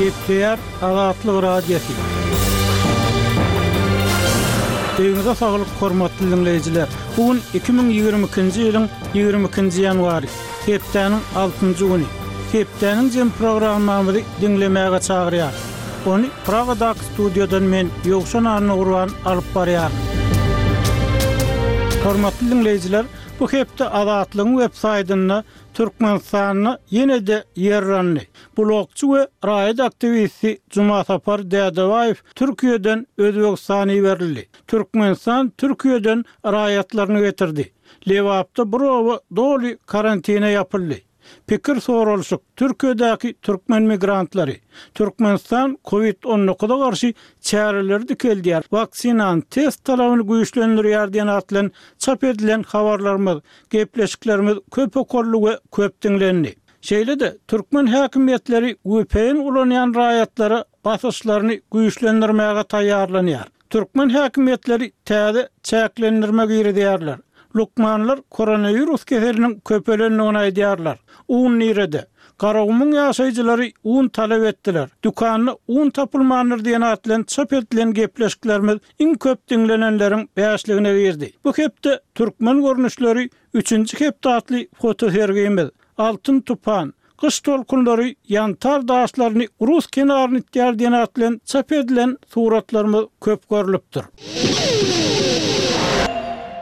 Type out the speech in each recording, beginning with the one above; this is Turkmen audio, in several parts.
Gepleýär Azatlyk Radiosy. Öýüňize saglyk hormatly diňleýjiler! Bu gün 2022-nji ýylyň 22-nji ýanwary, hepdäniň altynjy güni. Hepdäniň jem programmamyzy diňlemäge çagyrýarys. Ony Pragadaky studiýadan men, Ýowşan Annagurban alyp barýaryn. Hormatly diňleýjiler, bu hepde Azatlygyň web saýtynda Türkmenistanda ýene-de ýer yrandy. Blogçy we raýat aktiwisti Jumasapar Dädebaýew Türkiýeden Özbegistana iberildi. Türkmenistan Türkiýeden raýatlaryny getirdi. Lebapda bir oba doly karantine ýapyldy. Pikir soralyşyk, Türkiýedäki türkmen migrantlary. Türkmenistan Covid 19-a garşy çäreleri dikeldýär, waksinany test talabyny güýçlendirýär diýen at bilen çap edilen habarlarymyz, gepleşiklerimiz köp okaldy we köp diňlendi. Şeýle-de, türkmen häkimiýetleri vpn ulanýan raýatlara basyşlaryny güýçlendirmäge taýýarlanýar. Türkmen häkimiýetleri täze çäklendirme girizýärler. Lukmanlar koronawirus keseliniň köpelendigini aýdýarlar. Un nirede? Garagumuň ýaşaýjylary un talap etdiler. Dükanda un tapylmandyr diýen at bilen çap edilen gepleşiklerimiz iň köp diňlenenleriň bäşligine girdi. Bu hepde Türkmen görnüşleri üçünji hepde atly fotosergimiz, Altyn tupan, Gyş tolkunlary ýantar daşlaryny rus kenaryna itýär diýen at bilen çap edilen suratlarymyz köp görlüpdir.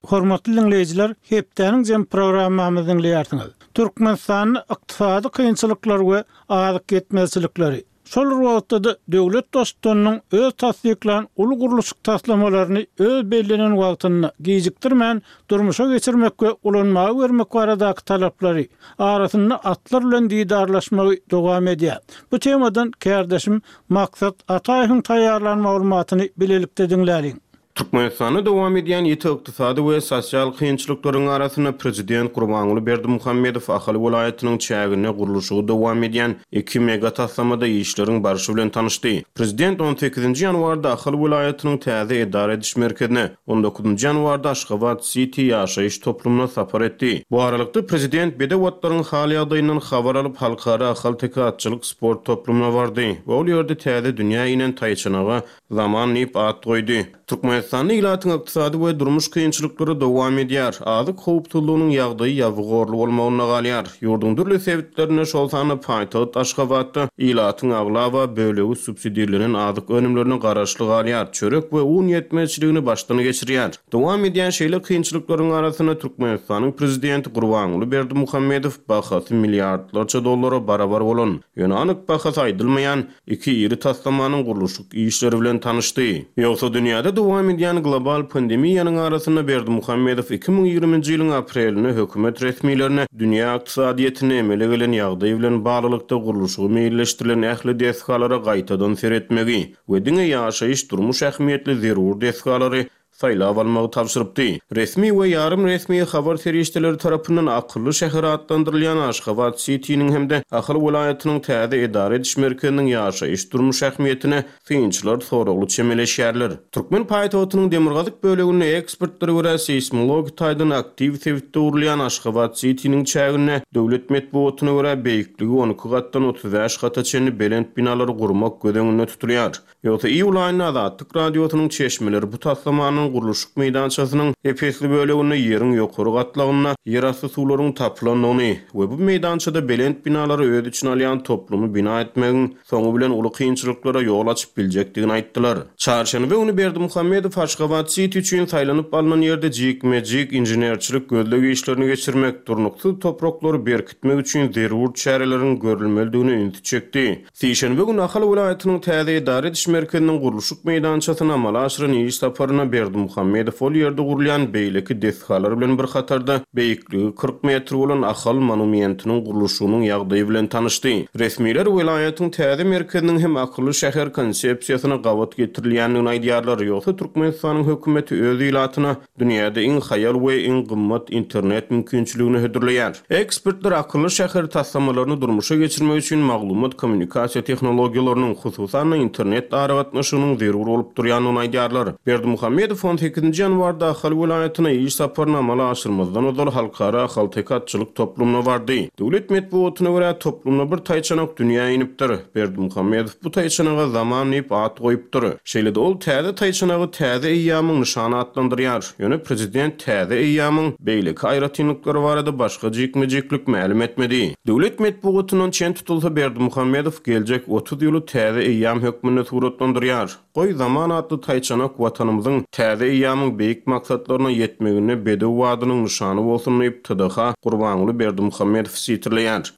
Hormatly diňleýjiler, hepdäniň jem programmamyzy diňleýärsiňiz. Türkmenistanda ykdysady kynçylyklar we azyk ýetmezçilikleri, Şol bir wagtda-da döwlet Baştutanynyň öz tassyklan uly gurluşyk taslamalaryny öz bellenen wagtynda, gijikdirmän durmuşa geçirmek we ulanmaga bermek baradaky talaplary, arasynda atlar bilen didarlaşmagy dowam edýär. Bu temadan kärdeşim Maksat Ataýewiň taýýarlan maglumatyny bilelikde diňläliň. Türkmenistanda dowam edýän ýiti ykdysady we sosial kynçylyklaryň arasynda prezident Gurbanguly Berdimuhamedow Ahal welaýatynyň çäginde gurluşygy dowam edýän iki mega taslamada işleriň barşy bilen tanyşdy. Prezident on sekizinji ýanwarda Ahal welaýatynyň täze edara ediş merkezine, on dokuzynjy ýanwarda Aşgabat siti ýaşaýyş toplumyna sapar etdi. Bu aralykda, prezident bedew atlaryň hal-ýagdaýyndan habar alyp, Halkara ahalteke atçylyk sport toplumyna bardy we ol ýerde täze dünýä inen taýçanaga Zaman diýip at goýdy. Türkmenistanda ilatyň ykdysady we durmuş kynçylyklary dowam edýär. Azyk howpsuzlygynyň ýagdaýy ýabygorly bolmagynda galýar. Ýurduň dürli sebitlerinde, şol sanda paýtagt Aşgabatda ilatyň aglaba bölegi subsidirlenen azyk önümlerine garaşly galýar, çörek we un ýetmezçiligini başdan geçirýär. Dowam edýän şeýle kynçylyklaryň arasynda Türkmenistanyň prezidenti Gurbanguly Berdimuhamedow bahasy milliardlarça dollara barabar bolan, ýöne anyk bahasy aýdylmaýan Iki iri taslamanyň gurluşyk işleri bilen tanyşdy. Ýogsa dünýäde dowam edýän global pandemiýanyň arasynda Berdimuhamedow 2020-nji ýylyň aprelinde hökümet resmilerine dünýä ykdysadyýetinde emele gelen ýagdaý bilen baglylykda gurluşygy meýilleşdirilen ähli desgalara gaýtadan seretmegi we diňe ýaşaýyş-durmuş ähmiýetli zerur desgalary saýlap almagy tabşyrypdy. Resmi we ýarym resmi habar serişdeleri tarapyndan akylly şäher atlandyrylýan Aşgabat Sitiniň hem-de Ahal welaýatynyň täze edara ediş merkeziniň ýaşaýyş-durmuş ähmiýetine synçylar soragly çemeleşýärler. Türkmen paýtagtynyň demirgazyk böleginde ekspertlere görä seýsmologik taýdan aktiw sebitde gurulýan Aşgabat Sitiniň çäginde döwlet metbugatyna görä beýikligi 12 gatdan 35 gata çenli belent binalary gurmak göz öňünde tutulýar. Ýogsa iýul aýynda Azatlyk Radiosynyň çeşmeleri bu taslamanyň gurluşyk meýdançasynyň ep-esli böleginde ýeriň ýokary gatlagynda ýerasty suwlaryň tapylandygyny we bu meýdançada belent binalary öz içine alýan toplumy bina etmegiň soňy bilen uly kynçylyklara ýol açyp biljekdigini aýtdylar. Çarşenbe güni Berdimuhamedow Aşgabat-siti üçin saýlanyp alnan ýerde jikme-jik inženerçilik gözleg işlerini geçirmek, durnuksyz topraklary berkitmek üçin zerur çäreleriň görülmelidigine ünsi çekdi. Sişenbe güni Ahal welaýatynyň täze edara ediş merkeziniň gurluşyk meýdançasyna amala aşyran iş saparynda Berdimuhamedow ol ýerde gurulýan beýleki desgalar bilen bir hatarda, beýikligi 40 metr bolan Ahal monumentiniň gurluşygynyň ýagdaýy bilen tanyşdy. Resmiler welaýatyň täze merkeziniň hem akylly şäher konsepsiýasyna gabat getirilýändigini aýdýarlar, ýogsa Türkmenistanyň hökümeti öz ilatyna Dünýäde iň haýal we iň gymmat internet mümkinçiligini hödürleýär. Ekspertler akylly şäher taslamalaryny durmuşa geçirmek üçin maglumat-kommunikasiýa tehnologiýalarynyň, hususan-da, internet aragatnaşygynyň zerur bolup durýandygyny aýdýarlar. Berdimuhamedowyň. Berdimuhamedow on sekizinji ýanwarda Ahal welaýatyna iş saparyny amala aşyrmazdan ozal Halkara ahalteke atçylyk toplumyna bardy. Döwlet metbugatyna görä, toplumda bir taýçanak dünýä inipdir. Berdimuhamedow bu taýçanaga Zaman diýip at goýupdyr. Şeýle-de ol täze taýçanagy täze eýýamyň nyşany atlandyrýar. Ýöne prezident täze eýýamyň beýleki aýratynlyklary barada başga jikme-jiklik mälim etmedi. Döwlet metbugatyndan çen tutulsa, Berdimuhamedow geljek 30 ýyly täze eýýam hökmünde suratlandyrýar. Goý, Zaman atly taýçanak Watanymyzyň täze eýýamyň beýik maksatlaryna ýetmeginde bedew badynyň nyşany bolsun diýip, TDH Gurbanguly Berdimuhamedowy sitirleýär.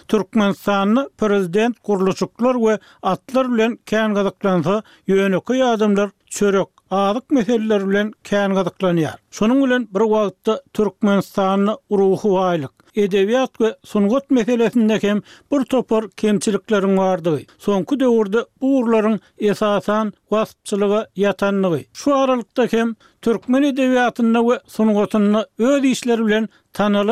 Türkmenistanda prezident gurluşyklar we atlar bilen kän gyzyklansa, ýönekeý adamlar çörek, azyk meseleleri bilen kän gyzyklanýar. Şonuň bilen bir wagtda Türkmenistanda ruhy baýlyk, edebiýat we sungat meselesinde hem bir topar kemçilikleriň bardygy, soňky döwürde bu ugurlaryň esasan waspçylyga ýatandygy, şu aralykda hem türkmen edebiýatynda we sungatynda öz işleri bilen tanalan.